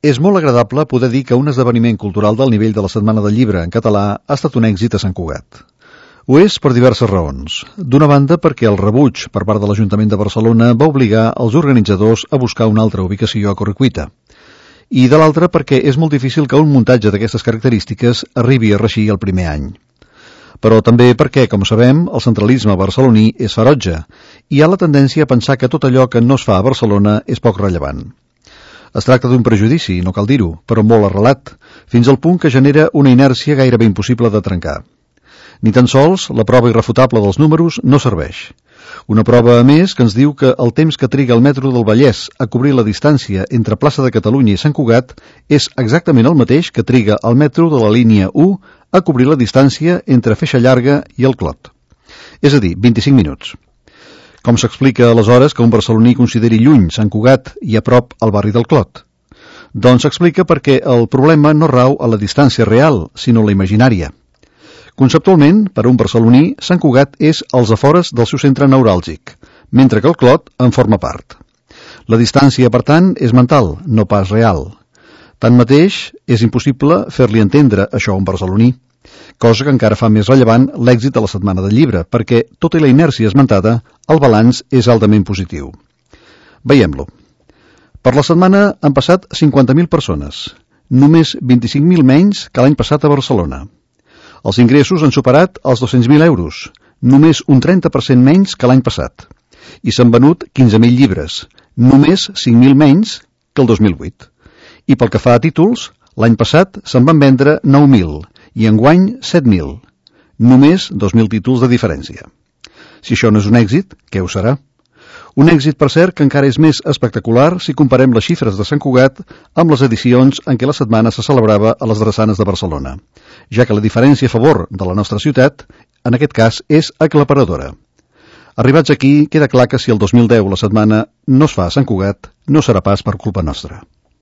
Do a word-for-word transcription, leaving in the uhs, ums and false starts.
És molt agradable poder dir que un esdeveniment cultural del nivell de la Setmana del Llibre en català ha estat un èxit a Sant Cugat. Ho és per diverses raons. D'una banda, perquè el rebuig per part de l'Ajuntament de Barcelona va obligar els organitzadors a buscar una altra ubicació a Correcuita. I de l'altra, perquè és molt difícil que un muntatge d'aquestes característiques arribi a reeixir el primer any. Però també perquè, com sabem, el centralisme barceloní és ferotge i hi ha la tendència a pensar que tot allò que no es fa a Barcelona és poc rellevant. Es tracta d'un prejudici, no cal dir-ho, però molt arrelat, fins al punt que genera una inèrcia gairebé impossible de trencar. Ni tan sols la prova irrefutable dels números no serveix. Una prova, a més, que ens diu que el temps que triga el metro del Vallès a cobrir la distància entre Plaça de Catalunya i Sant Cugat és exactament el mateix que triga el metro de la línia u a cobrir la distància entre Feixa Llarga i el Clot. És a dir, vint-i-cinc minuts. Com s'explica aleshores que un barceloní consideri lluny Sant Cugat i a prop el barri del Clot? Doncs s'explica perquè el problema no rau a la distància real, sinó la imaginària. Conceptualment, per a un barceloní, Sant Cugat és als afores del seu centre neuràlgic, mentre que el Clot en forma part. La distància, per tant, és mental, no pas real. Tanmateix, és impossible fer-li entendre això a un barceloní, cosa que encara fa més rellevant l'èxit de la Setmana del Llibre, perquè, tot i la inèrcia esmentada, el balanç és altament positiu. Veiem-lo. Per la setmana han passat cinquanta mil persones, només vint-i-cinc mil menys que l'any passat a Barcelona. Els ingressos han superat els dos-cents mil euros, només un trenta per cent menys que l'any passat, i s'han venut quinze mil llibres, només cinc mil menys que el dos mil vuit. I pel que fa a títols, l'any passat se'n van vendre nou mil, i enguany set mil. Només dos mil títols de diferència. Si això no és un èxit, què ho serà? Un èxit, per cert, que encara és més espectacular si comparem les xifres de Sant Cugat amb les edicions en què la setmana se celebrava a les drassanes de Barcelona, ja que la diferència a favor de la nostra ciutat, en aquest cas, és aclaparadora. Arribats aquí, queda clar que si el dos mil deu la setmana no es fa a Sant Cugat, no serà pas per culpa nostra.